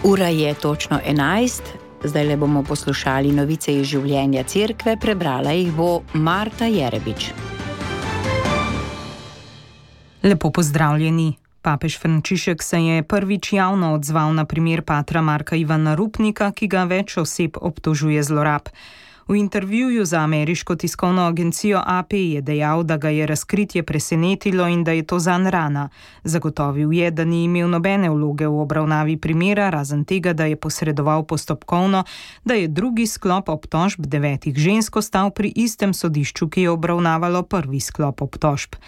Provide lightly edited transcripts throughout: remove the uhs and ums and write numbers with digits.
Ura je točno 11, zdaj le bomo poslušali novice iz življenja cerkve, prebrala jih bo Marta Jerebič. Lepo pozdravljeni. Papež Frančišek se je prvič javno odzval na primer patra Marka Ivana Rupnika, ki ga več oseb obtožuje zlorab. V intervjuju za ameriško tiskovno agencijo AP je dejal, da ga je razkritje presenetilo in da je to zanj rana. Zagotovil je, da ni imel nobene vloge v obravnavi primera, razen tega, da je posredoval postopkovno, da je drugi sklop obtožb 9 žensk ostal pri istem sodišču, ki je obravnavalo prvi sklop obtožb.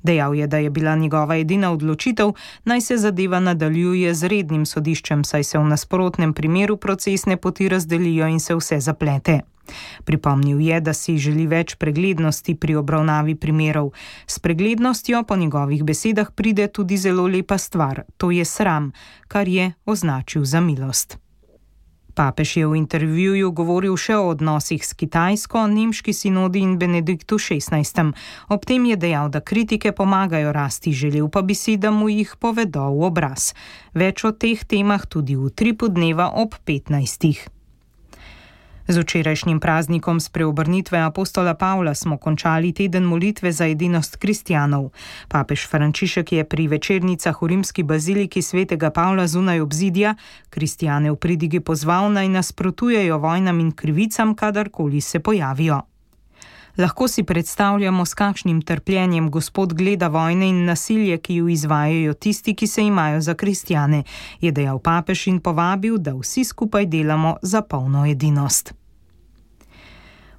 Dejal je, da je bila njegova edina odločitev, naj se zadeva nadaljuje z rednim sodiščem, saj se v nasprotnem primeru procesne poti razdelijo in se vse zaplete. Pripomnil je, da si želi več preglednosti pri obravnavi primerov. S preglednostjo po njegovih besedah pride tudi zelo lepa stvar, to je sram, kar je označil za milost. Papež je v intervjuju govoril še o odnosih s Kitajsko, nemški sinodi in Benediktu XVI. Ob tem je dejal, da kritike pomagajo rasti, želel pa bi si, da mu jih povedo v obraz. Več o teh temah tudi v Utripu dneva ob 15. Z včerajšnjim praznikom spreobrnitve apostola Pavla smo končali teden molitve za edinost kristjanov. Papež Frančišek je pri večernicah v rimski baziliki svetega Pavla zunaj obzidja kristjane v pridigi pozval, naj nasprotujejo vojnam in krivicam, kadarkoli se pojavijo. Lahko si predstavljamo, s kakšnim trpljenjem Gospod gleda vojne in nasilje, ki ju izvajajo tisti, ki se imajo za kristjane, je dejal papež in povabil, da vsi skupaj delamo za polno edinost.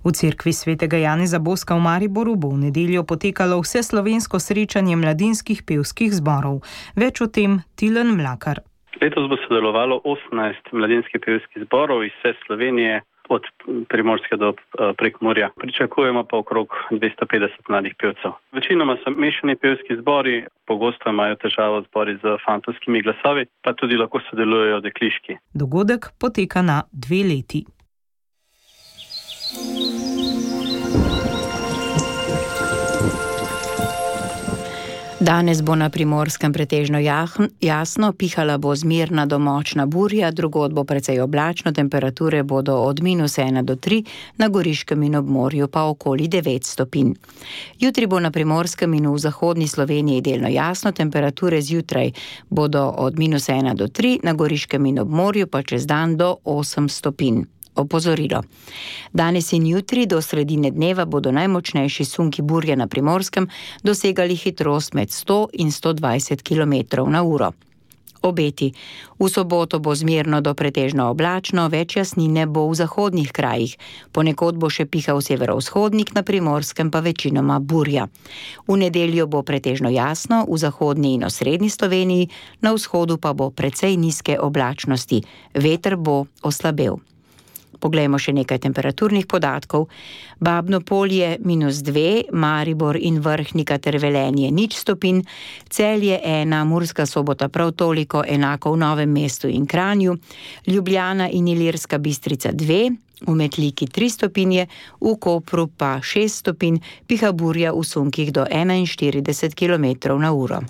V cerkvi svetega Janeza Boska v Mariboru bo v nedeljo potekalo vseslovensko srečanje mladinskih pevskih zborov. Več o tem Tilen Mlakar. Letos bo sodelovalo 18 mladinskih pevskih zborov iz vse Slovenije, od Primorske do Prekmurja. Pričakujemo pa okrog 250 mladih pevcev. Večinoma so mešani pevski zbori, pogosto imajo težavo zbori z fantovskimi glasovi, pa tudi lahko sodelujejo dekliški. Dogodek poteka na 2 leti. Danes bo na Primorskem pretežno jasno, pihala bo zmerna do močna burja, drugod bo precej oblačno, temperature bodo od -1 do 3, na Goriškem in ob morju pa okoli 9 stopinj. Jutri bo na Primorskem in v zahodni Sloveniji delno jasno, temperature zjutraj bodo od -1 do 3, na Goriškem in ob morju pa čez dan do 8 stopinj. Opozorilo. Danes in jutri do sredine dneva bodo najmočnejši sunki burje na Primorskem dosegali hitrost med 100 in 120 km/h. Obeti. V soboto bo zmerno do pretežno oblačno, več jasnine bo v zahodnih krajih. Ponekod bo še pihal severovzhodnik, na Primorskem pa večinoma burja. V nedeljo bo pretežno jasno, v zahodni in osrednji Sloveniji, na vzhodu pa bo precej nizke oblačnosti. Veter bo oslabel. Poglejmo še nekaj temperaturnih podatkov. Babno Polje -2, Maribor in Vrhnika ter Velenje 0 stopinj, Celje 1, Murska Sobota prav toliko, enako v Novem mestu in Kranju, Ljubljana in Ilirska Bistrica 2, v Metliki 3 stopinje, v Kopru pa 6 stopinj, piha burja v sunkih do 41 km/h.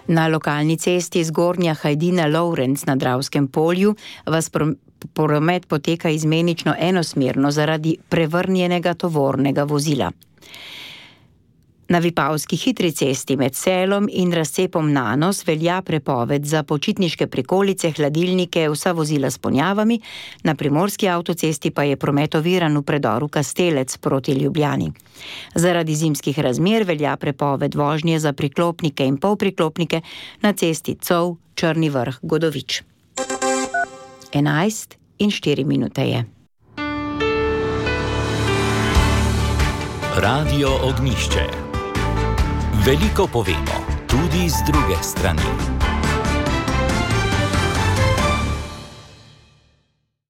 Na lokalni cesti Zgornja Hajdina-Lovrenc na Dravskem polju vas promet poteka izmenično enosmerno zaradi prevrnjenega tovornega vozila. Na Vipavski hitri cesti med Selom in razcepom Nanos velja prepoved za počitniške prikolice, hladilnike, vsa vozila s ponjavami, na Primorski avtocesti pa je promet oviran v predoru Kastelec proti Ljubljani. Zaradi zimskih razmer velja prepoved vožnje za priklopnike in polpriklopnike na cesti Cov, Črni Vrh, Godovič. 11:04 je. Radio Ognjišče. Veliko povemo, tudi z druge strani.